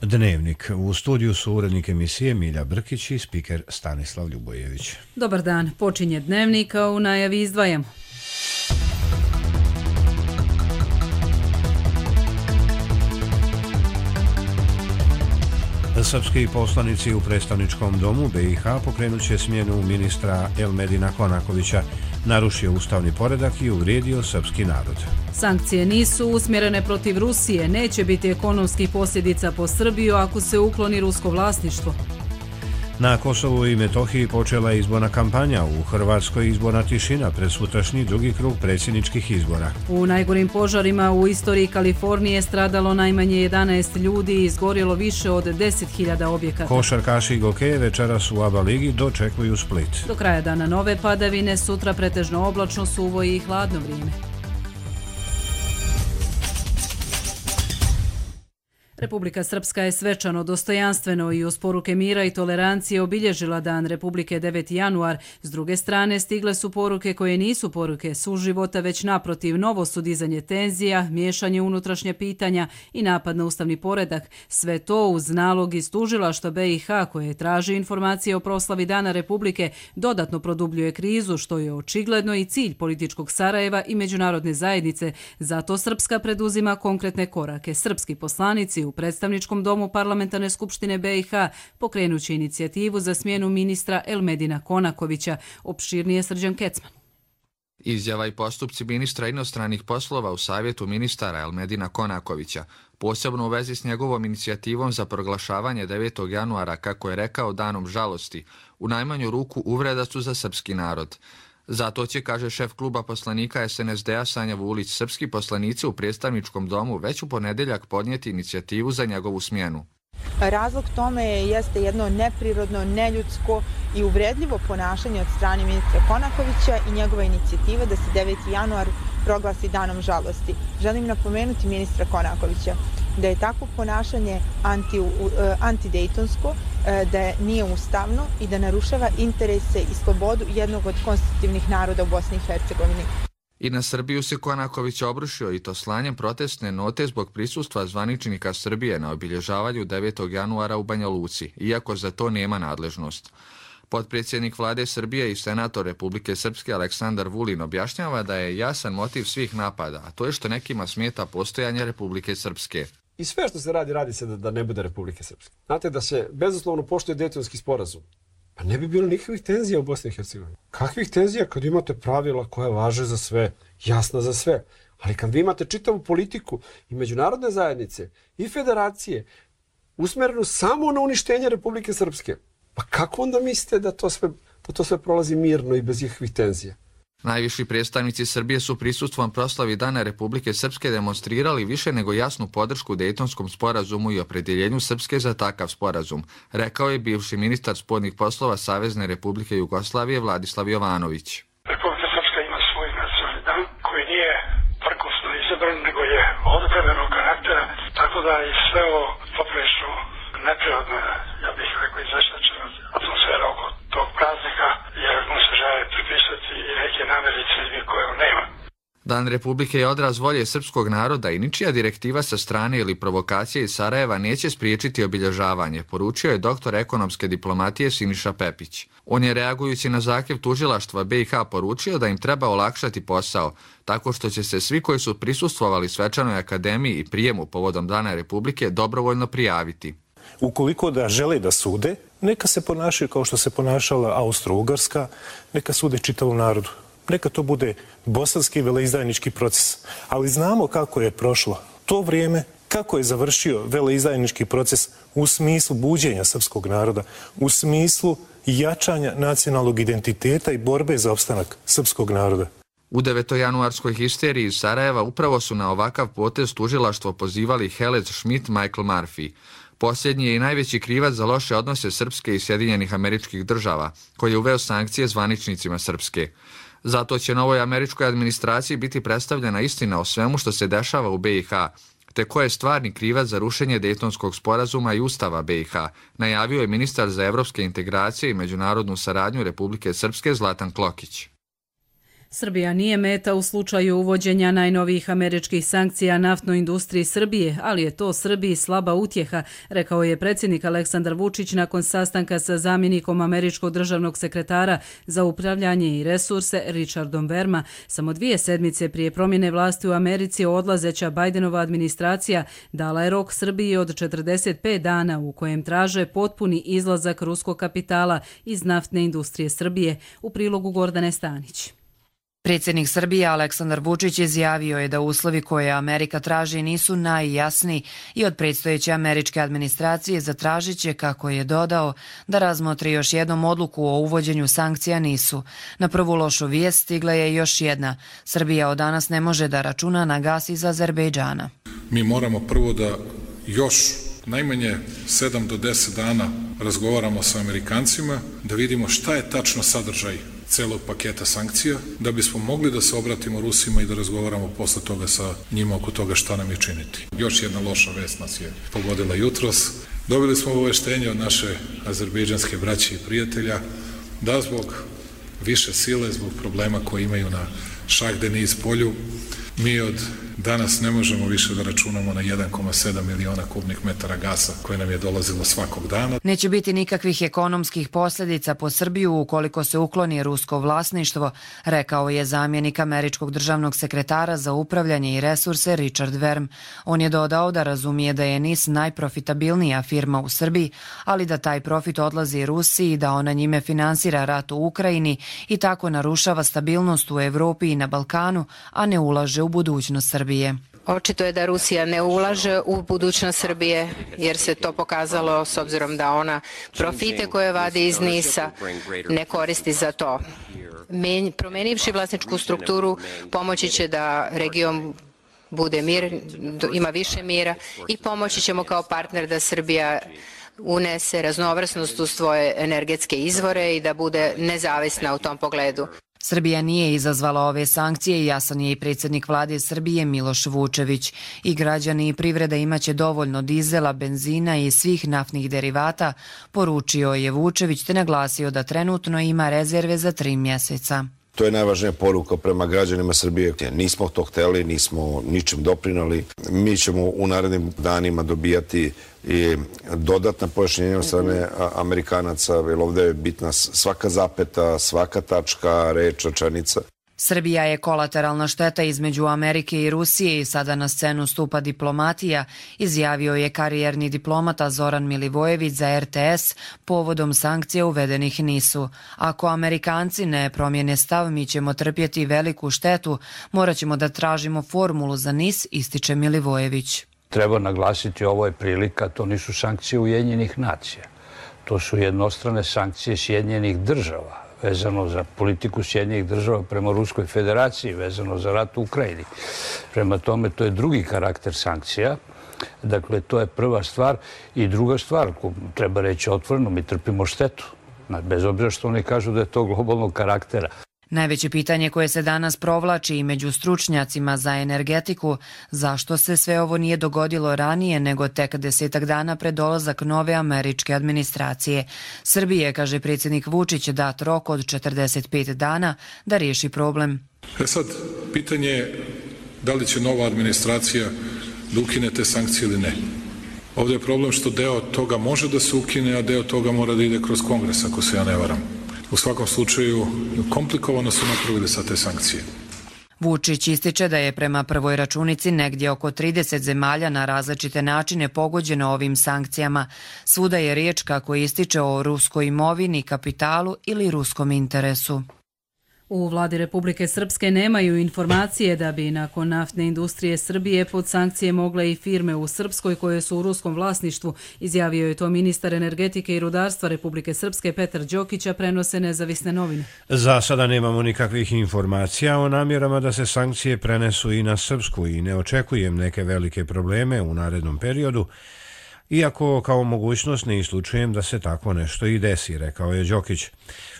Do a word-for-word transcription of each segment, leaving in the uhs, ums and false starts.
Dnevnik. U studiju su urednik emisije Milja Brkić i spiker Stanislav Ljubojević. Dobar dan. Počinje Dnevnik, a u najavi izdvajamo. Srpski poslanici u predstavničkom domu B i H pokrenut će smjenu ministra Elmedina Konakovića, narušio ustavni poredak i uvrijedio srpski narod. Sankcije nisu usmjerene protiv Rusije, neće biti ekonomskih posljedica po Srbiju ako se ukloni rusko vlasništvo. Na Kosovu i Metohiji počela je izborna kampanja, u Hrvatskoj izborna tišina pred sutrašnji drugi krug predsjedničkih izbora. U najgorim požarima u istoriji Kalifornije stradalo najmanje jedanaest ljudi i izgorjelo više od deset hiljada objekata. Košarkaši i gokeje večeras u ABA ligi dočekuju Split. Do kraja dana nove padavine, sutra pretežno oblačno, suvo i hladno vrijeme. Republika Srpska je svečano, dostojanstveno i uz poruke mira i tolerancije obilježila Dan Republike deveti januar. S druge strane, stigle su poruke koje nisu poruke suživota, već naprotiv novo su dizanje tenzija, miješanje unutrašnje pitanja i napad na ustavni poredak. Sve to uz nalog iz tužilaštva B i H koje traži informacije o proslavi Dana Republike dodatno produbljuje krizu, što je očigledno i cilj političkog Sarajeva i međunarodne zajednice. Zato Srpska preduzima konkretne korake. Srpski poslanici u predstavničkom domu Parlamentarne skupštine B i H pokrenući inicijativu za smjenu ministra Elmedina Konakovića. Opširnije Srđan Kecman. Izjava i postupci ministra inostranih poslova u savjetu ministara Elmedina Konakovića, posebno u vezi s njegovom inicijativom za proglašavanje devetog januara, kako je rekao, danom žalosti, u najmanju ruku uvreda su za srpski narod. Zato će, kaže šef kluba poslanika S N S D-a Sanja Vulić, srpski poslanici u predstavničkom domu već u ponedjeljak podnijeti inicijativu za njegovu smjenu. Razlog tome jeste jedno neprirodno, neljudsko i uvredljivo ponašanje od strane ministra Konakovića i njegova inicijativa da se deveti januar proglasi danom žalosti. Želim napomenuti ministra Konakovića da je takvo ponašanje anti, antidejtonsko, da nije ustavno i da narušava interese i slobodu jednog od konstitutivnih naroda u Bosni i Hercegovini. I na Srbiju se Konaković obrušio i to slanjem protestne note zbog prisustva zvaničnika Srbije na obilježavanju devetog januara u Banja Luci, iako za to nema nadležnost. Potpredsjednik vlade Srbije i senator Republike Srpske Aleksandar Vulin objašnjava da je jasan motiv svih napada, a to je što nekima smeta postojanje Republike Srpske. I sve što se radi, radi se da, da ne bude Republike Srpske. Znate, da se bezuslovno poštuje Dejtonski sporazum, pa ne bi bilo nikakvih tenzija u Bosni i Hercegovini. Kakvih tenzija kad imate pravila koja važe za sve, jasna za sve. Ali kad vi imate čitavu politiku i međunarodne zajednice i federacije usmjerenu samo na uništenje Republike Srpske, pa kako onda mislite da to sve, da to sve prolazi mirno i bez ikakvih tenzija? Najviši predstavnici Srbije su prisustvom proslavi Dana Republike Srpske demonstrirali više nego jasnu podršku Dejtonskom sporazumu i opredjeljenju Srpske za takav sporazum, rekao je bivši ministar spoljnih poslova Savezne Republike Jugoslavije Vladislav Jovanović. Republika Srpska ima svoj nacionalni dan koji nije prkosno izabran, nego je odobrenog karaktera, tako da i sve ovo poprilično neprirodno, ja bih rekao, izveštačena atmosfera oko tog praznika, jer mu se žele pripisati i neke namjere ciljevi koje on nema. Dan Republike je odraz volje srpskog naroda i ničija direktiva sa strane ili provokacije iz Sarajeva neće spriječiti obilježavanje, poručio je doktor ekonomske diplomatije Siniša Pepić. On je, reagujući na zahtjev tužilaštva B i H, poručio da im treba olakšati posao, tako što će se svi koji su prisustvovali svečanoj akademiji i prijemu povodom Dana Republike dobrovoljno prijaviti. Ukoliko da žele da sude, neka se ponašaju kao što se ponašala Austro-Ugarska, neka sude čitavom narodu. Neka to bude bosanski veleizdajnički proces. Ali znamo kako je prošlo to vrijeme, kako je završio veleizdajnički proces u smislu buđenja srpskog naroda, u smislu jačanja nacionalnog identiteta i borbe za opstanak srpskog naroda. U devetojanuarskoj histeriji iz Sarajeva upravo su na ovakav potez tužilaštvo pozivali Helez Schmidt, Michael Murphy. Posljednji je i najveći krivac za loše odnose Srpske i Sjedinjenih Američkih Država, koji je uveo sankcije zvaničnicima Srpske. Zato će novoj američkoj administraciji biti predstavljena istina o svemu što se dešava u B i H, te ko je stvarni krivac za rušenje Dejtonskog sporazuma i Ustava B i H, najavio je ministar za evropske integracije i međunarodnu saradnju Republike Srpske Zlatan Klokić. Srbija nije meta u slučaju uvođenja najnovijih američkih sankcija naftnoj industriji Srbije, ali je to Srbiji slaba utjeha, rekao je predsjednik Aleksandar Vučić nakon sastanka sa zamjenikom američkog državnog sekretara za upravljanje i resurse Richardom Verma. Samo dvije sedmice prije promjene vlasti u Americi odlazeća Bajdenova administracija dala je rok Srbiji od četrdeset pet dana u kojem traže potpuni izlazak ruskog kapitala iz naftne industrije Srbije. U prilogu Gordane Stanić. Predsjednik Srbije Aleksandar Vučić izjavio je da uslovi koje Amerika traži nisu najjasniji i od predstojeće američke administracije zatražit će, kako je dodao, da razmotri još jednom odluku o uvođenju sankcija nisu. Na prvu lošu vijest stigla je još jedna. Srbija od danas ne može da računa na gas iz Azerbejdžana. Mi moramo prvo da još najmanje sedam do deset dana razgovaramo sa Amerikancima, da vidimo šta je tačno sadržaj celog paketa sankcija, da bismo mogli da se obratimo Rusima i da razgovaramo posle toga sa njima oko toga šta nam je činiti. Još jedna loša vest nas je pogodila jutros. Dobili smo obaveštenje od naše azerbejdžanske braće i prijatelja da zbog više sile, zbog problema koje imaju na Šah Deniz polju, mi od danas ne možemo više da računamo na jedan zarez sedam miliona kubnih metara gasa koje nam je dolazilo svakog dana. Neće biti nikakvih ekonomskih posljedica po Srbiju ukoliko se ukloni rusko vlasništvo, rekao je zamjenik američkog državnog sekretara za upravljanje i resurse Richard Verm. On je dodao da razumije da je N I S najprofitabilnija firma u Srbiji, ali da taj profit odlazi Rusiji i da ona njime finansira rat u Ukrajini i tako narušava stabilnost u Evropi i na Balkanu, a ne ulaže u budućnost Srbije. Očito je da Rusija ne ulaže u budućnost Srbije, jer se to pokazalo s obzirom da ona profite koje vadi iz N I S-a ne koristi za to. Promenivši vlasničku strukturu pomoći će da region bude mir, ima više mira i pomoći ćemo kao partner da Srbija unese raznovrsnost u svoje energetske izvore i da bude nezavisna u tom pogledu. Srbija nije izazvala ove sankcije i jasan je i predsjednik vlade Srbije Miloš Vučević. I građani i privreda imaće dovoljno dizela, benzina i svih naftnih derivata, poručio je Vučević te naglasio da trenutno ima rezerve za tri mjeseca. To je najvažnija poruka prema građanima Srbije. Nismo to hteli, nismo ničim doprinali. Mi ćemo u narednim danima dobijati i dodatna pojašnjenja od strane Amerikanaca, jer ovdje je bitna svaka zapeta, svaka tačka, reč, rečenica. Srbija je kolateralna šteta između Amerike i Rusije i sada na scenu stupa diplomatija, izjavio je karijerni diplomata Zoran Milivojević za R T S povodom sankcija uvedenih N I S-u. Ako Amerikanci ne promijene stav, mi ćemo trpjeti veliku štetu, morat ćemo da tražimo formulu za N I S, ističe Milivojević. Treba naglasiti, ovo je prilika, to nisu sankcije Ujedinjenih nacija. To su jednostrane sankcije Sjedinjenih država, vezano za politiku Sjedinjenih država prema Ruskoj federaciji, vezano za rat u Ukrajini. Prema tome, to je drugi karakter sankcija. Dakle, to je prva stvar. I druga stvar, treba reći otvoreno, mi trpimo štetu. Bez obzira što oni kažu da je to globalnog karaktera. Najveće pitanje koje se danas provlači i među stručnjacima za energetiku, zašto se sve ovo nije dogodilo ranije nego tek desetak dana pred dolazak nove američke administracije. Srbije, kaže predsjednik Vučić, dat rok od četrdeset pet dana da riješi problem. E sad, pitanje je da li će nova administracija da ukine te sankcije ili ne. Ovdje je problem što deo toga može da se ukine, a deo toga mora da ide kroz Kongres, ako se ja ne varam. U svakom slučaju, komplikovano su napravili sa te sankcije. Vučić ističe da je prema prvoj računici negdje oko trideset zemalja na različite načine pogođeno ovim sankcijama. Svuda je riječ, kako ističe, o ruskoj imovini, kapitalu ili ruskom interesu. U vladi Republike Srpske nemaju informacije da bi nakon naftne industrije Srbije pod sankcije mogle i firme u Srpskoj koje su u ruskom vlasništvu, izjavio je to ministar energetike i rudarstva Republike Srpske Petar Đokića, prenose nezavisne novine. Za sada nemamo nikakvih informacija o namjerama da se sankcije prenesu i na Srpsku i ne očekujem neke velike probleme u narednom periodu, iako kao mogućnost ne isključujem da se tako nešto i desi, rekao je Đokić.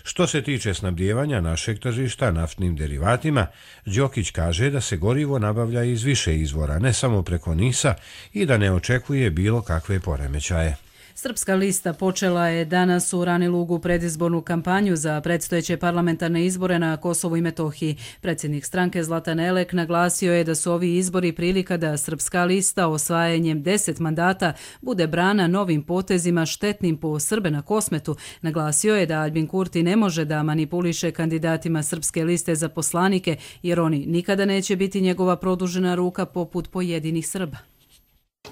Što se tiče snabdijevanja našeg tržišta naftnim derivatima, Đokić kaže da se gorivo nabavlja iz više izvora, ne samo preko N I S-a, i da ne očekuje bilo kakve poremećaje. Srpska lista počela je danas u Rani Lugu predizbornu kampanju za predstojeće parlamentarne izbore na Kosovu i Metohiji. Predsjednik stranke Zlatan Elek naglasio je da su ovi izbori prilika da Srpska lista osvajanjem deset mandata bude brana novim potezima štetnim po Srbe na Kosmetu. Naglasio je da Aljbin Kurti ne može da manipuliše kandidatima Srpske liste za poslanike jer oni nikada neće biti njegova produžena ruka poput pojedinih Srba.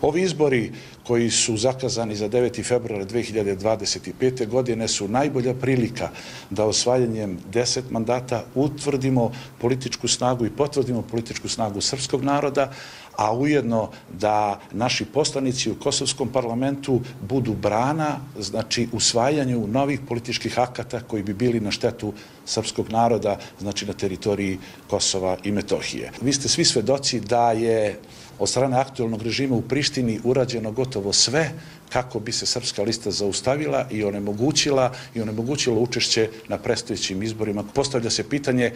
Ovi izbori koji su zakazani za deveti februar dve hiljade dvadeset pete. godine su najbolja prilika da osvajanjem deset mandata utvrdimo političku snagu i potvrdimo političku snagu srpskog naroda, a ujedno da naši poslanici u Kosovskom parlamentu budu brana, znači usvajanju novih političkih akata koji bi bili na štetu srpskog naroda, znači na teritoriji Kosova i Metohije. Vi ste svi svedoci da je od strane aktualnog režima u Prištini urađeno gotovo sve kako bi se Srpska lista zaustavila i onemogućila i onemogućila učešće na predstojećim izborima. Postavlja se pitanje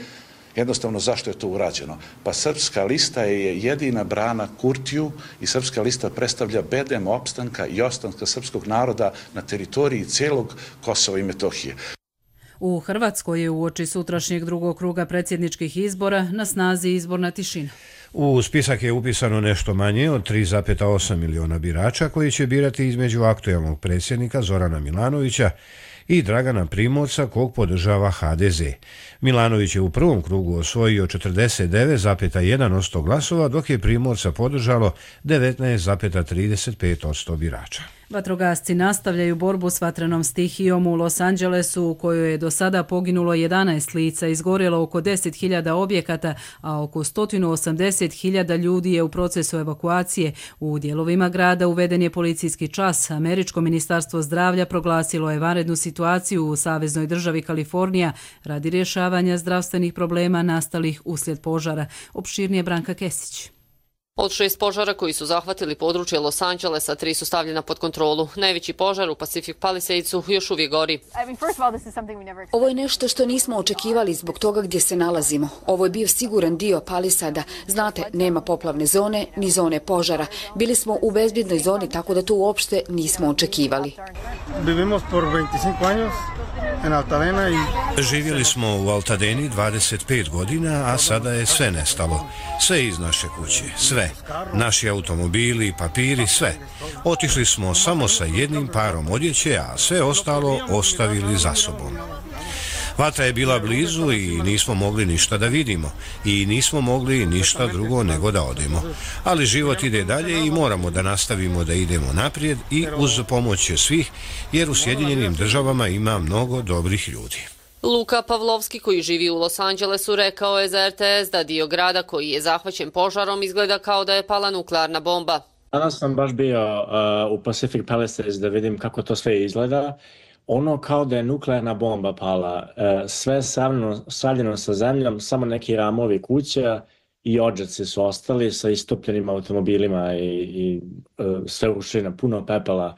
jednostavno zašto je to urađeno. Pa Srpska lista je jedina brana Kurtiju i Srpska lista predstavlja bedem opstanka i ostanka srpskog naroda na teritoriji celog Kosova i Metohije. U Hrvatskoj je uoči sutrašnjeg drugog kruga predsjedničkih izbora na snazi izborna tišina. U spisak je upisano nešto manje od tri zarez osam miliona birača koji će birati između aktuelnog predsjednika Zorana Milanovića i Dragana Primorca kog podržava ha de ze. Milanović je u prvom krugu osvojio četrdeset devet zarez jedan posto glasova, dok je Primorca podržalo devetnaest zarez trideset pet posto birača. Vatrogasci nastavljaju borbu s vatrenom stihijom u Los Angelesu u kojoj je do sada poginulo jedanaest lica, izgorjelo oko deset hiljada objekata, a oko sto osamdeset hiljada ljudi je u procesu evakuacije. U dijelovima grada uveden je policijski čas. Američko ministarstvo zdravlja proglasilo je vanrednu situaciju u saveznoj državi Kalifornija radi rješavanja zdravstvenih problema nastalih uslijed požara. Opširnije Branka Kesić. Od šest požara koji su zahvatili područje Los Angelesa, tri su stavljena pod kontrolu. Najveći požar u Pacific Palisadesu još uvijek gori. Ovo je nešto što nismo očekivali zbog toga gdje se nalazimo. Ovo je bio siguran dio Palisada. Znate, nema poplavne zone ni zone požara. Bili smo u bezbjednoj zoni, tako da to uopšte nismo očekivali. Živjeli smo u Altadeni dvadeset pet godina, a sada je sve nestalo. Sve iz naše kuće, sve. Naši automobili, papiri, sve. Otišli smo samo sa jednim parom odjeće, a sve ostalo ostavili za sobom. Vatra je bila blizu i nismo mogli ništa da vidimo i nismo mogli ništa drugo nego da odemo. Ali život ide dalje i moramo da nastavimo da idemo naprijed i uz pomoć svih, jer u Sjedinjenim državama ima mnogo dobrih ljudi. Luka Pavlovski, koji živi u Los Angelesu, rekao je za er te es da dio grada koji je zahvaćen požarom izgleda kao da je pala nuklearna bomba. Danas sam baš bio uh, u Pacific Palisades da vidim kako to sve izgleda. Ono kao da je nuklearna bomba pala. Uh, sve stavljeno sa zemljom, samo neki ramovi kuća i odžaci su ostali sa istopljenim automobilima i, i uh, sve ušli puno pepela.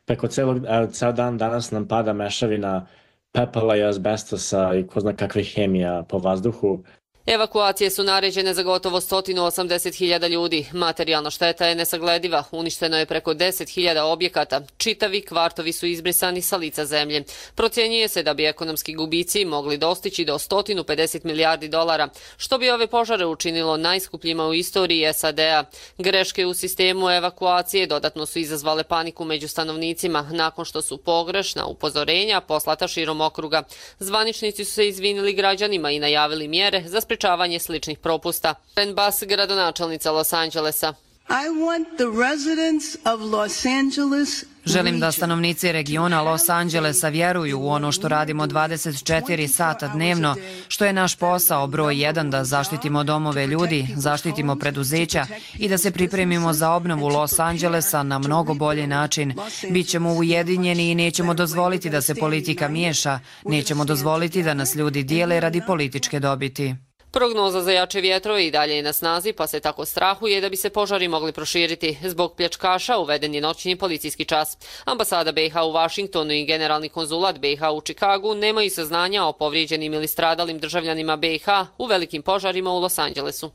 Preko celog, uh, ceo dan danas nam pada mešavina pepela i azbestosa i ko zna kakvih hemija po vazduhu. Evakuacije su naređene za gotovo sto osamdeset hiljada ljudi. Materijalna šteta je nesaglediva. Uništeno je preko deset hiljada objekata. Čitavi kvartovi su izbrisani sa lica zemlje. Procjenjuje se da bi ekonomski gubici mogli dostići do sto pedeset milijardi dolara, što bi ove požare učinilo najskupljima u istoriji es a de a. Greške u sistemu evakuacije dodatno su izazvale paniku među stanovnicima nakon što su pogrešna upozorenja poslata širom okruga. Zvaničnici su se izvinili građanima i najavili mjere za sprečavanje sličnih propusta. Karen Bass, gradonačelnica Los Angelesa. Želim da stanovnici regiona Los Angelesa vjeruju u ono što radimo dvadeset četiri sata dnevno, što je naš posao broj jedan da zaštitimo domove ljudi, zaštitimo preduzeća i da se pripremimo za obnovu Los Angelesa na mnogo bolji način. Bićemo ujedinjeni i nećemo dozvoliti da se politika miješa, nećemo dozvoliti da nas ljudi dijele radi političke dobiti. Prognoza za jače vjetrove i dalje je na snazi, pa se tako strahuje da bi se požari mogli proširiti. Zbog pljačkaša uveden je noćni policijski čas. Ambasada be i ha u Vašingtonu i generalni konzulat be i ha u Čikagu nemaju saznanja o povrijeđenim ili stradalim državljanima be i ha u velikim požarima u Los Angelesu.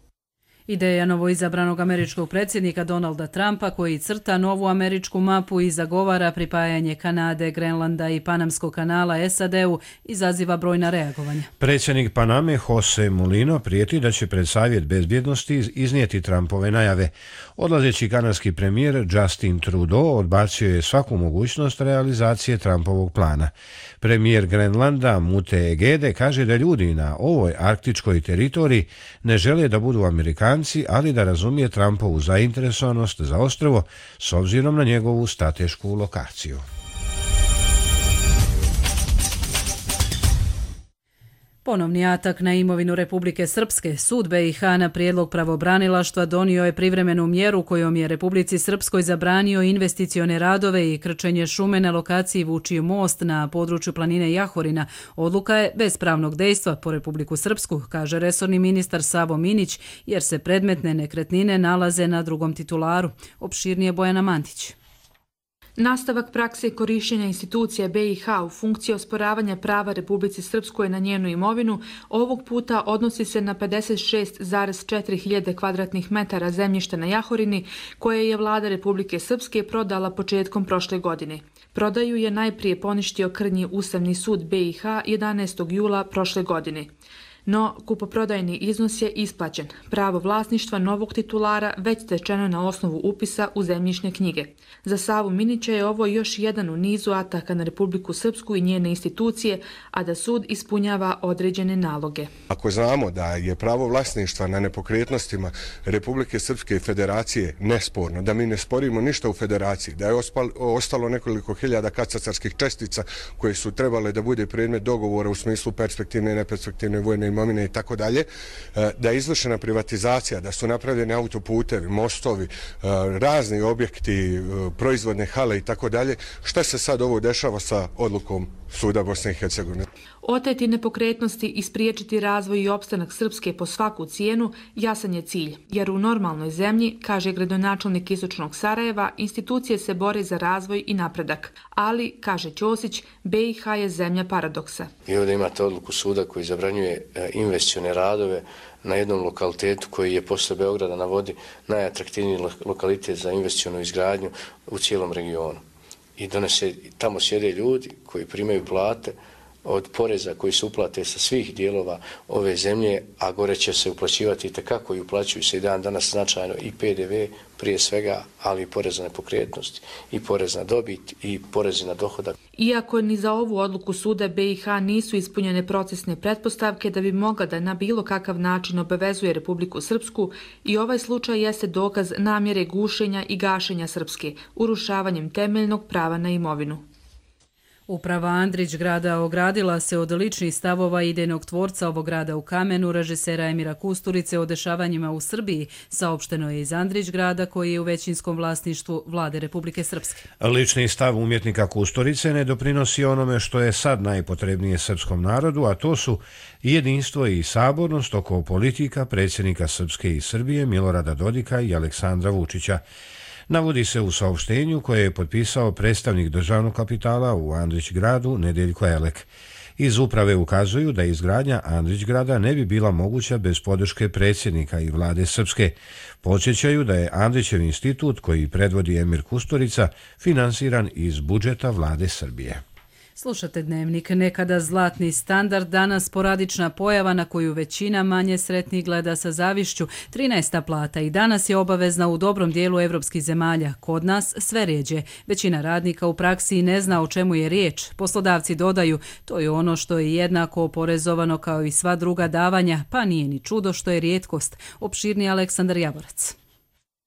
Ideja novoizabranog američkog predsjednika Donalda Trumpa, koji crta novu američku mapu i zagovara pripajanje Kanade, Grenlanda i Panamskog kanala S A D-u, izaziva brojna reagovanja. Predsjednik Paname Jose Mulino prijeti da će pred Savjet bezbjednosti iznijeti Trumpove najave. Odlazeći kanadski premijer Justin Trudeau odbacio je svaku mogućnost realizacije Trumpovog plana. Premijer Grenlanda Mute Egede kaže da ljudi na ovoj arktičkoj teritoriji ne žele da budu Amerikanci, ali da razumije Trumpovu zainteresovanost za ostrvo s obzirom na njegovu stratešku lokaciju. Ponovni atak na imovinu Republike Srpske. Sud B i H na prijedlog pravobranilaštva donio je privremenu mjeru kojom je Republici Srpskoj zabranio investicione radove i krčenje šume na lokaciji Vučiji most na području planine Jahorina. Odluka je bez pravnog dejstva po Republiku Srpsku, kaže resorni ministar Savo Minić, jer se predmetne nekretnine nalaze na drugom titularu. Opširnije Bojana Mantić. Nastavak prakse korišćenja institucija B i H u funkciji osporavanja prava Republici Srpskoj na njenu imovinu ovog puta odnosi se na pedeset šest zarez četiri hiljade kvadratnih metara zemljišta na Jahorini koje je vlada Republike Srpske prodala početkom prošle godine. Prodaju je najprije poništio krnji Ustavni sud B i H jedanaestog jula prošle godine. No, kupoprodajni iznos je isplaćen. Pravo vlasništva novog titulara već stečeno na osnovu upisa u zemljišne knjige. Za Savu Minića je ovo još jedan u nizu ataka na Republiku Srpsku i njene institucije, a da sud ispunjava određene naloge. Ako znamo da je pravo vlasništva na nepokretnostima Republike Srpske i Federacije nesporno, da mi ne sporimo ništa u Federaciji, da je ostalo nekoliko hiljada katastarskih čestica koje su trebale da bude predmet dogovora u smislu perspektivne i neperspektivne vojne imovine i tako dalje, da je izvršena privatizacija, da su napravljeni autoputevi, mostovi, razni objekti, proizvodne hale i tako dalje. Šta se sad ovo dešava sa odlukom Suda Bosne i Hercegovine? Oteti nepokretnosti i spriječiti razvoj i opstanak Srpske po svaku cijenu jasan je cilj, jer u normalnoj zemlji, kaže gradonačelnik Istočnog Sarajeva, institucije se bore za razvoj i napredak. Ali, kaže Ćosić, B i H je zemlja paradoksa. I ovdje imate odluku suda koji zabranjuje investicione radove na jednom lokalitetu koji je posle Beograda na vodi najatraktivniji lokalitet za investicionu izgradnju u cijelom regionu. I donese, tamo sjede ljudi koji primaju plate od poreza koji se uplate sa svih dijelova ove zemlje, a gore će se uplaćivati itekako i uplaćuju se i dan danas značajno i P D V prije svega, ali i porez na nepokretnosti, i porez na dobit, i porezi na dohodak. Iako ni za ovu odluku suda B i H nisu ispunjene procesne pretpostavke da bi mogla da na bilo kakav način obavezuje Republiku Srpsku, i ovaj slučaj jeste dokaz namjere gušenja i gašenja Srpske, urušavanjem temeljnog prava na imovinu. Uprava Andrić grada ogradila se od ličnih stavova idejnog tvorca ovog grada u kamenu, režisera Emira Kusturice, o dešavanjima u Srbiji, saopšteno je iz Andrić grada koji je u većinskom vlasništvu vlade Republike Srpske. Lični stav umjetnika Kusturice ne doprinosi onome što je sad najpotrebnije srpskom narodu, a to su jedinstvo i sabornost oko politika predsjednika Srpske i Srbije Milorada Dodika i Aleksandra Vučića. Navodi se u saopštenju koje je potpisao predstavnik državnog kapitala u Andrić gradu Nedeljko Elek. Iz uprave ukazuju da izgradnja Andrić grada ne bi bila moguća bez podrške predsjednika i vlade Srpske. Podsjećaju da je Andrićev institut, koji predvodi Emir Kusturica, finansiran iz budžeta vlade Srbije. Slušate Dnevnik. Nekada zlatni standard, danas sporadična pojava na koju većina manje sretnih gleda sa zavišću. trinaesta plata i danas je obavezna u dobrom dijelu evropskih zemalja. Kod nas sve rijeđe. Većina radnika u praksi ne zna o čemu je riječ. Poslodavci dodaju, to je ono što je jednako oporezovano kao i sva druga davanja, pa nije ni čudo što je rijetkost. Opširni Aleksandar Javorac.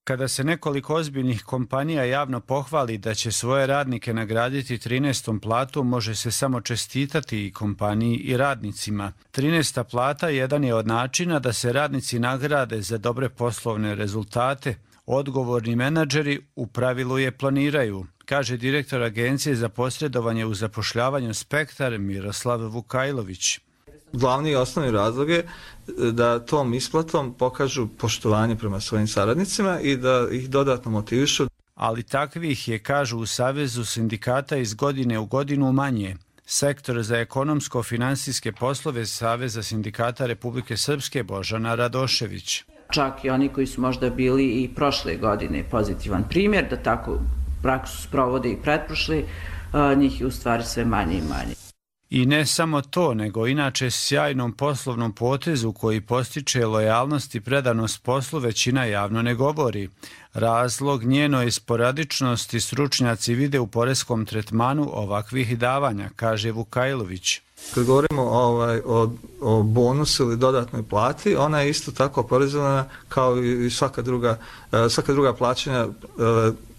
Kada se nekoliko ozbiljnih kompanija javno pohvali da će svoje radnike nagraditi trinaestom platom, može se samo čestitati i kompaniji i radnicima. trinaesta plata jedan je od načina da se radnici nagrade za dobre poslovne rezultate. Odgovorni menadžeri u pravilu je planiraju, kaže direktor Agencije za posredovanje u zapošljavanju Spektar Miroslav Vukajlović. Glavni i osnovni razlog je da tom isplatom pokažu poštovanje prema svojim saradnicima i da ih dodatno motivišu. Ali takvih je, kažu u Savezu sindikata, iz godine u godinu manje. Sektor za ekonomsko-finansijske poslove Saveza sindikata Republike Srpske Božana Radošević. Čak i oni koji su možda bili i prošle godine pozitivan primjer, da tako praksu sprovode i pretprošle, njih je u stvari sve manje i manje. I ne samo to, nego inače sjajnom poslovnom potezu koji postiče lojalnost i predanost poslu većina javno ne govori. Razlog njenoj sporadičnosti stručnjaci vide u poreskom tretmanu ovakvih davanja, kaže Vukajlović. Kad govorimo ovaj, o, o bonusu ili dodatnoj plati, ona je isto tako oporezovana kao i svaka druga, svaka druga plaćanja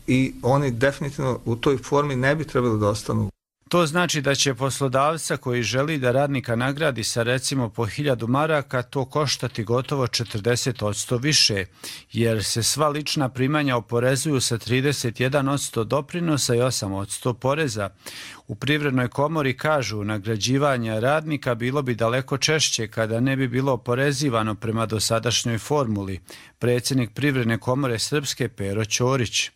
i oni definitivno u toj formi ne bi trebali da ostanu. To znači da će poslodavca koji želi da radnika nagradi sa recimo po hiljadu maraka to koštati gotovo četrdeset posto više, jer se sva lična primanja oporezuju sa trideset jedan posto doprinosa i osam posto poreza. U Privrednoj komori kažu nagrađivanje radnika bilo bi daleko češće kada ne bi bilo oporezivano prema dosadašnjoj formuli. Predsjednik Privredne komore Srpske Pero Ćorić.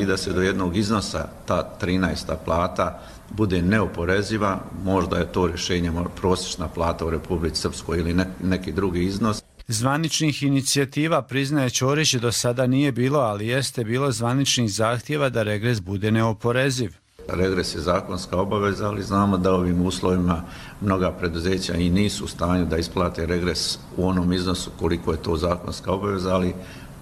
I da se do jednog iznosa ta trinaesta plata bude neoporeziva, možda je to rješenje prosječna plata u Republici Srpskoj ili neki drugi iznos. Zvaničnih inicijativa, priznaje Ćorić, do sada nije bilo, ali jeste bilo zvaničnih zahtjeva da regres bude neoporeziv. Regres je zakonska obaveza, ali znamo da ovim uslovima mnoga preduzeća i nisu u stanju da isplate regres u onom iznosu koliko je to zakonska obaveza, ali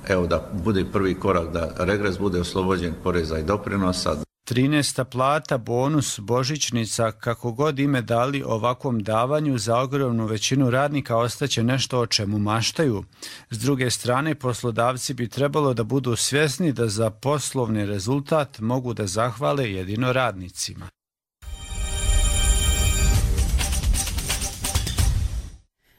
evo da bude prvi korak da regres bude oslobođen poreza i doprinosa. trinaesta plata, bonus, božićnica, kako god ime dali ovakvom davanju, za ogromnu većinu radnika ostaće nešto o čemu maštaju. S druge strane, poslodavci bi trebalo da budu svjesni da za poslovni rezultat mogu da zahvale jedino radnicima.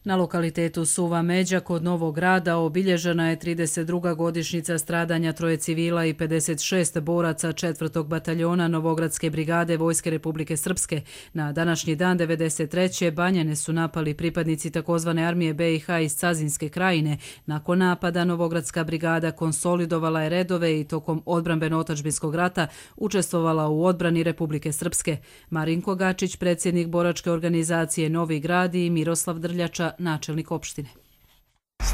Na lokalitetu Suva Međa kod Novog Grada obilježena je trideset druga godišnjica stradanja troje civila i pedeset šest boraca četvrtog bataljona Novogradske brigade Vojske Republike Srpske. Na današnji dan devedeset treće Banjane su napali pripadnici takozvane armije B i H iz Cazinske krajine. Nakon napada Novogradska brigada konsolidovala je redove i tokom odbrambeno-otačbinskog rata učestvovala u odbrani Republike Srpske. Marinko Gačić, predsjednik boračke organizacije Novi Grad, i Miroslav Drljača, načelnik opštine.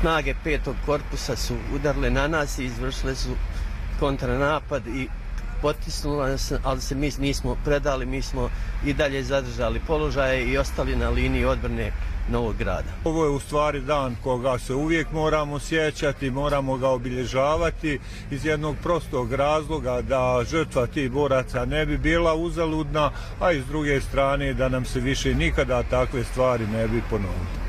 Snage petog korpusa su udarile na nas i izvršile su kontranapad i potisnula nas, ali se mi nismo predali, mi smo i dalje zadržali položaje i ostali na liniji odbrane Novog Grada. Ovo je u stvari dan koga se uvijek moramo sjećati, moramo ga obilježavati iz jednog prostog razloga da žrtva tih boraca ne bi bila uzaludna, a iz druge strane da nam se više nikada takve stvari ne bi ponovile.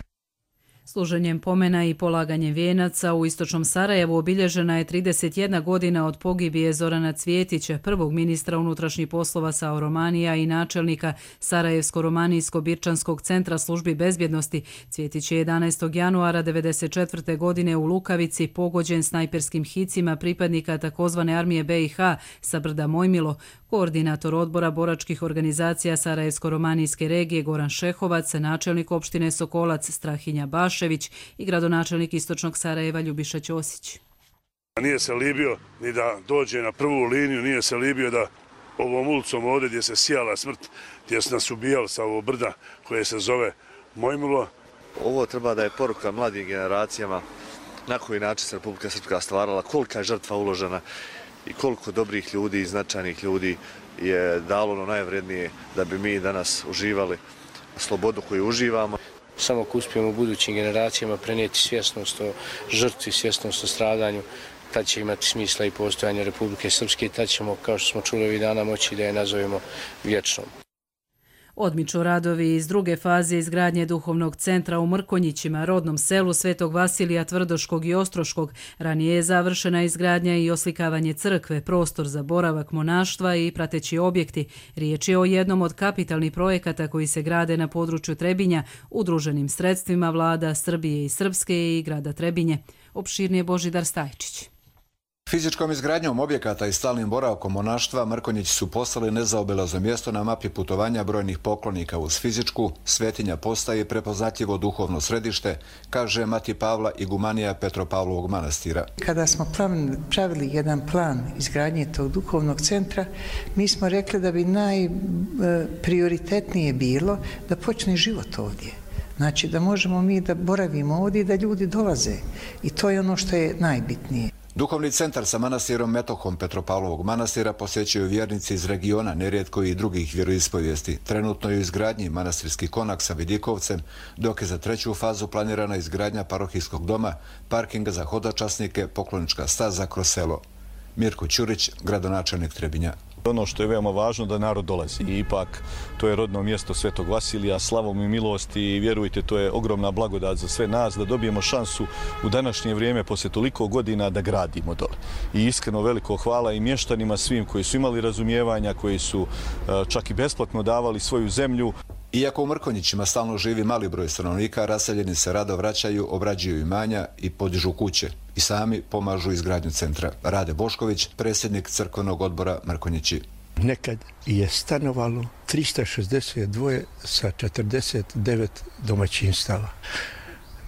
Služenjem pomena i polaganjem vijenaca u istočnom Sarajevu obilježena je trideset jedna godina od pogibije Zorana Cvjetića, prvog ministra unutrašnjih poslova Sao Romanija i načelnika Sarajevsko-Romanijsko-Birčanskog centra službi bezbjednosti. Cvjetić je jedanaestog januara devedeset četvrte godine u Lukavici pogođen snajperskim hicima pripadnika takozvane armije B i H sa brda Mojmilo. Koordinator odbora boračkih organizacija Sarajevsko-Romanijske regije Goran Šehovac, načelnik opštine Sokolac Strahinja Bašević i gradonačelnik istočnog Sarajeva Ljubiša Ćosić. Nije se libio ni da dođe na prvu liniju, nije se libio da ovom ulicom ovdje gdje se sijala smrt, gdje se nas ubijali sa ovo brda koje se zove Mojmilo. Ovo treba da je poruka mladim generacijama na koji način se Republika Srpska stvarala, kolika je žrtva uložena i koliko dobrih ljudi i značajnih ljudi je dalo ono najvrednije da bi mi danas uživali slobodu koju uživamo. Samo ako uspijemo budućim generacijama prenijeti svjesnost o žrtvi, svjesnost o stradanju, tad će imati smisla i postojanje Republike Srpske, tad ćemo, kao što smo čuli ovih dana, moći da je nazovemo vječnom. Odmiču radovi iz druge faze izgradnje duhovnog centra u Mrkonjićima, rodnom selu Svetog Vasilija Tvrdoškog i Ostroškog. Ranije je završena izgradnja i oslikavanje crkve, prostor za boravak monaštva i prateći objekti. Riječ je o jednom od kapitalnih projekata koji se grade na području Trebinja, udruženim sredstvima vlada Srbije i Srpske i grada Trebinje. Opširnije Božidar Stajčić. Fizičkom izgradnjom objekata i stalnim boravkom monaštva Mrkonjići su postali nezaobilazno mjesto na mapi putovanja brojnih poklonika. Uz fizičku, svetinja postaje prepoznatljivo duhovno središte, kaže mati Pavla igumanija Petropavlovog manastira. Kada smo pravili jedan plan izgradnje tog duhovnog centra, mi smo rekli da bi najprioritetnije bilo da počne život ovdje. Znači da možemo mi da boravimo ovdje i da ljudi dolaze. I to je ono što je najbitnije. Duhovni centar sa manastirom Metohom Petropavlovog manastira posjećuju vjernici iz regiona, nerijetko i drugih vjeroispovijesti. Trenutno je u izgradnji manastirski konak sa vidikovcem, dok je za treću fazu planirana izgradnja parohijskog doma, parkinga za hodočasnike, poklonička staza kroz selo. Mirko Ćurić, gradonačelnik Trebinja. Ono što je veoma važno da narod dolazi i ipak to je rodno mjesto Svetog Vasilija, slavom i milosti i vjerujte to je ogromna blagodat za sve nas da dobijemo šansu u današnje vrijeme poslije toliko godina da gradimo dole. I iskreno veliko hvala i mještanima svim koji su imali razumijevanja, koji su čak i besplatno davali svoju zemlju. Iako u Mrkonjićima stalno živi mali broj stanovnika, raseljeni se rado vraćaju, obrađuju imanja i podižu kuće. I sami pomažu izgradnju centra. Rade Bošković, predsjednik crkvenog odbora Mrkonjići. Nekad je stanovalo trista šezdeset dva sa četrdeset devet domaćinstava.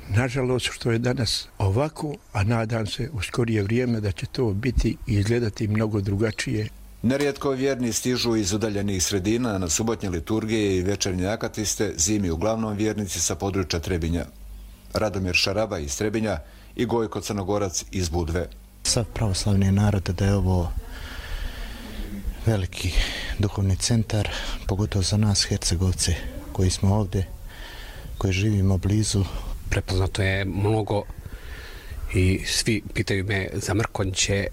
Nažalost, što je danas ovako, a nadam se u skorije vrijeme da će to biti i izgledati mnogo drugačije. Nerijetko vjerni stižu iz udaljenih sredina na subotnje liturgije i večernje akatiste, zimi uglavnom vjernici sa područja Trebinja. Radomir Šaraba iz Trebinja i Gojko Crnogorac iz Budve. Sav pravoslavni narod da je ovo veliki duhovni centar, pogotovo za nas Hercegovce koji smo ovdje, koji živimo blizu. Prepoznato je mnogo i svi pitaju me za Mrkonjiće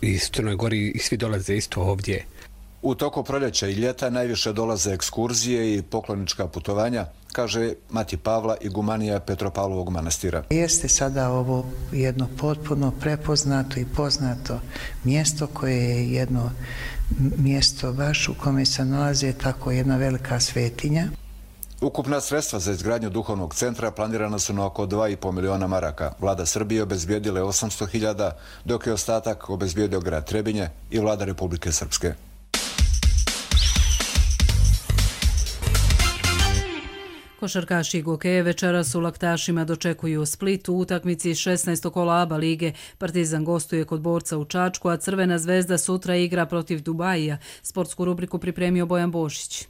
i Crnoj Gori i svi dolaze isto ovdje. U toku proljeća i ljeta najviše dolaze ekskurzije i poklonička putovanja, kaže mati Pavla igumanija Petropavlovog manastira. Jeste sada ovo jedno potpuno prepoznato i poznato mjesto koje je jedno mjesto baš u kome se nalaze tako jedna velika svetinja. Ukupna sredstva za izgradnju duhovnog centra planirana su na oko dva i pol miliona maraka. Vlada Srbije obezbijedila je osamsto hiljada, dok je ostatak obezbijedio grad Trebinje i vlada Republike Srpske. Košarkaši i Gokeje večeras u Laktašima dočekuju Split u utakmici šesnaestog kola ABA lige. Partizan gostuje kod Borca u Čačku, a Crvena zvezda sutra igra protiv Dubajija. Sportsku rubriku pripremio Bojan Bošić.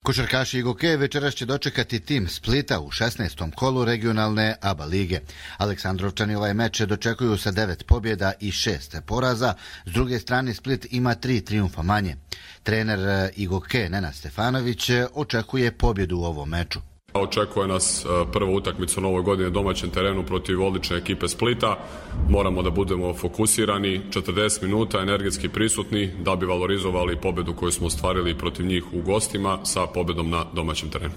Košarkaši i Gokeje večeras će dočekati tim Splita u šesnaestom kolu regionalne ABA lige. Aleksandrovčani ovaj meč dočekuju sa devet pobjeda i šest poraza. S druge strane Split ima tri trijumfa manje. Trener i Gokeje Nenad Stefanović očekuje pobjedu u ovom meču. Očekuje nas prva utakmica u novoj godini na domaćem terenu protiv odlične ekipe Splita. Moramo da budemo fokusirani, četrdeset minuta energetski prisutni da bi valorizovali pobjedu koju smo ostvarili protiv njih u gostima sa pobjedom na domaćem terenu.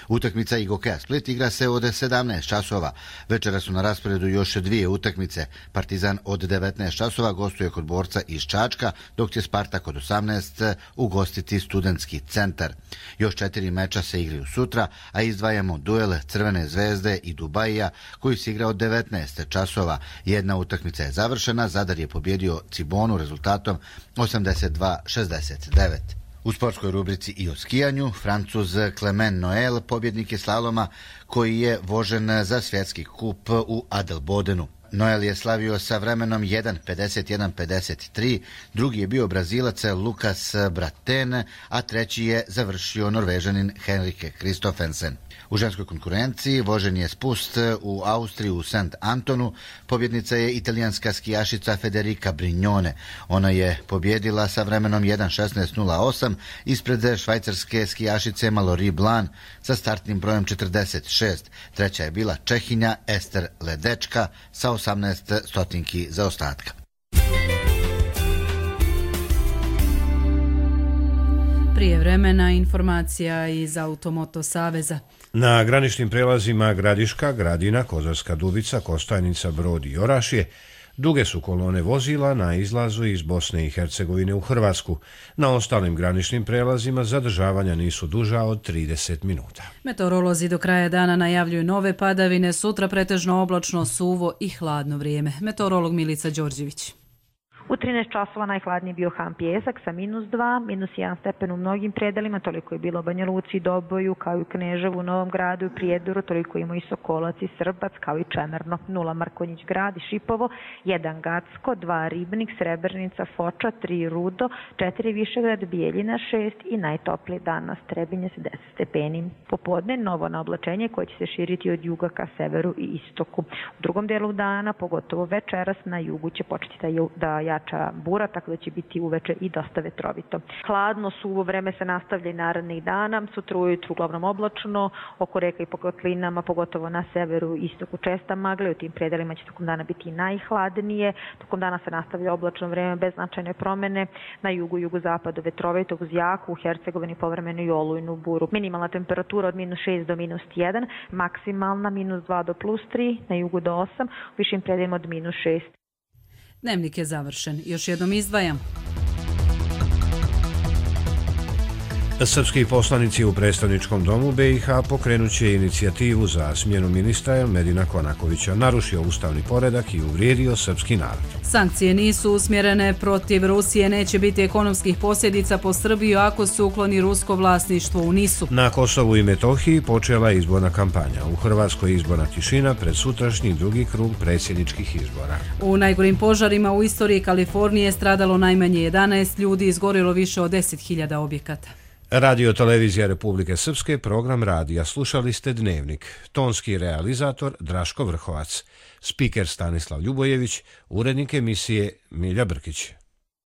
Utakmica i Gokeja Split igra se od sedamnaest časova. Večera su na rasporedu još dvije utakmice. Partizan od devetnaest časova gostuje kod Borca iz Čačka, dok će Spartak od osamnaest ugostiti Studentski centar. Još četiri meča se igraju sutra, a izdvajamo duel Crvene zvezde i Dubajija koji se igra od devetnaest časova. Jedna utakmica je završena, Zadar je pobjedio Cibonu rezultatom osamdeset dva šezdeset devet. U sportskoj rubrici i o skijanju, Francuz Clement Noel pobjednik je slaloma koji je vožen za svjetski kup u Adelbodenu. Noel je slavio sa vremenom jedan pedeset jedan pedeset tri, drugi je bio Brazilac Lukas Braten, a treći je završio Norvežanin Henrike Kristofensen. U ženskoj konkurenciji vožen je spust u Austriji u Saint Antonu. Pobjednica je italijanska skijašica Federica Brignone. Ona je pobjedila sa vremenom jedan šesnaest nula osam ispred švajcarske skijašice Mallory Blan sa startnim brojem četrdeset šest. Treća je bila Čehinja Ester Ledečka sa osamnaest stotinki zaostatka. Prije vremena informacija iz Automoto Saveza. Na graničnim prelazima Gradiška, Gradina, Kozarska Dubica, Kostajnica, Brod i Orašje duge su kolone vozila na izlazu iz Bosne i Hercegovine u Hrvatsku. Na ostalim graničnim prelazima zadržavanja nisu duža od trideset minuta. Meteorolozi do kraja dana najavljuju nove padavine, sutra pretežno oblačno, suvo i hladno vrijeme. Meteorolog Milica Đorđević. U trinaest časova najhladniji bio Han Pjesak sa minus dva, minus jedan stepen u mnogim predelima, toliko je bilo u Banja Luci, Doboju, kao i u Kneževu, Novom Gradu i Prijedoru, toliko ima i Sokolac i Srbac, kao i Čemerno, nula Markonjić Grad i Šipovo, jedan Gacko, dva Ribnik, Srebrnica, Foča, tri Rudo, četiri Višegrad, Bijeljina šest i najtopliji dan na Strebinje sa deset stepeni. Popodne novo naoblačenje koje će se širiti od juga ka severu i istoku. U drugom delu dana, pogotovo večeras, na jugu će početi da jača bura, tako da će biti uveče i dosta vetrovito. Hladno, suvo vreme se nastavlja i narednih dana, sutra ujutru uglavnom oblačno, oko reka i po kotlinama, pogotovo na severu i istoku česta magla, u tim predelima će tokom dana biti najhladnije, tokom dana se nastavlja oblačno vreme bez značajne promene, na jugu i jugozapadu vetrovito uz jaku, u Hercegovini povremeno i olujnu buru. Minimalna temperatura od minus šest do minus jedan, maksimalna minus dva do plus tri, na jugu do osam, u višim predelima od minus šest. Dnevnik je završen. Još jednom izdvajam. Srpski poslanici u predstavničkom domu B i H pokrenut će inicijativu za smjenu ministra Elmedina Konakovića, narušio ustavni poredak i uvrijedio srpski narod. Sankcije nisu usmjerene protiv Rusije, neće biti ekonomskih posljedica po Srbiju ako se ukloni rusko vlasništvo u Nisu. Na Kosovu i Metohiji počela je izborna kampanja. U Hrvatskoj izborna tišina pred sutrašnji drugi krug predsjedničkih izbora. U najgorim požarima u istoriji Kalifornije stradalo najmanje jedanaest ljudi, izgorilo više od deset hiljada objekata. Radio Televizija Republike Srpske, program radija. Slušali ste Dnevnik. Tonski realizator Draško Vrhovac. Spiker Stanislav Ljubojević. Urednik emisije Milja Brkić.